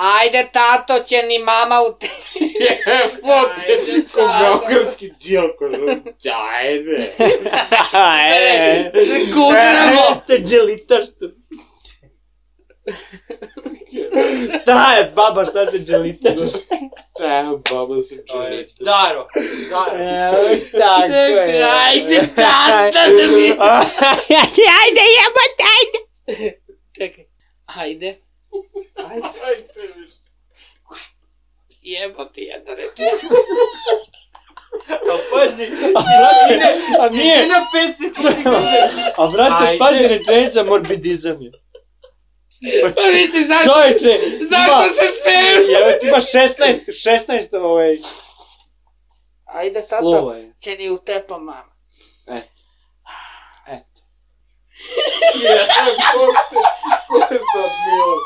Ajde, tato, će ni mama u te... Jebote, ko beogradski Đilko Župić, ajde. Kudramo. Jeste dželita što... Šta je, baba, šta se dželitaš? Baba se dželita. Daro. Tako je. Ajde, tata, da mi... Ajde, jebote, ajde. Čekaj. Ajde. Jebote, jedna rečenica. A pazi, A nije, na 5 sekundi kaže. a brate, Ajde. pazi, rečenica morbidizam je. Pa misliš, Čovječe, zašto se smijem? Evo ti imaš 16 Ajde, slova tato, je. će ni u tepa mama. Jebote, ko je sad Milan?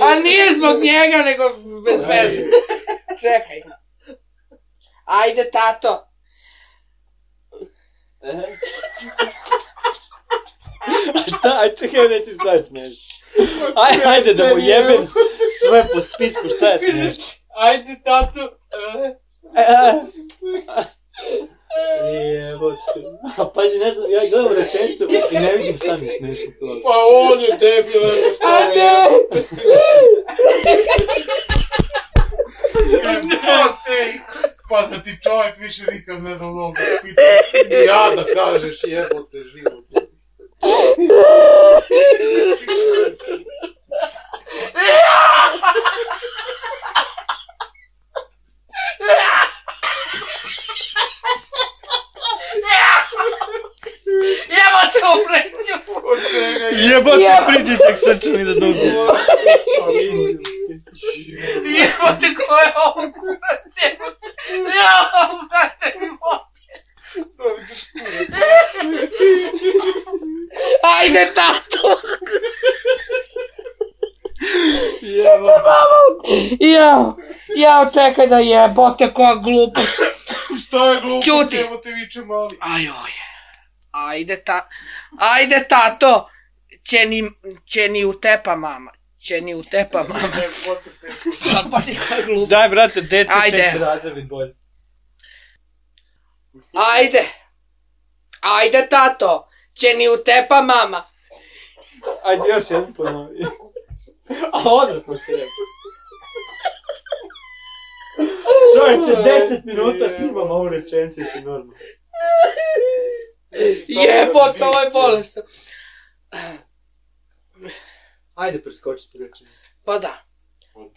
A nije zbog njega, nego bez veze. Čekaj. Ajde, tato. A šta, aj čekaj, reći šta je smiješno. Ajde da mu jebem sve po spisku, šta je smiješno. Ajde, tato. Jebote. A pazi, ne znam, ja gledam rečenicu i ne vidim šta mi je smiješno to. Pa on je debil, nego šta je. Jebote, pa da ti čovjek više nikad ne da mnogo pita. Ni ja da kažeš jebote život. Jebote, upreću. Od čega je? Jebote, pritisak srčani da dogu. Jebote, ko je ovo kurac, jebote. Jao, brate, mi Ajde, tato. Jao, čekaj da jebote, koja glupa. Šta je glupo, Ćuti. jebote viče mali. Ajde, tato. Će ni u tepa mama. Jebote, Pa si koja glupa. Daj, brate, dete Ajde. 4 razred bolje. Ajde, tato. Će ni u tepa mama. Ajde, još jedan ponovi. A onda smo se rekli. Čovječe, 10 minuta snimam ovu rečenicu si normalno. Jebote, ovo je bolesno. Ajde, preskoči tu rečenicu. Pa da.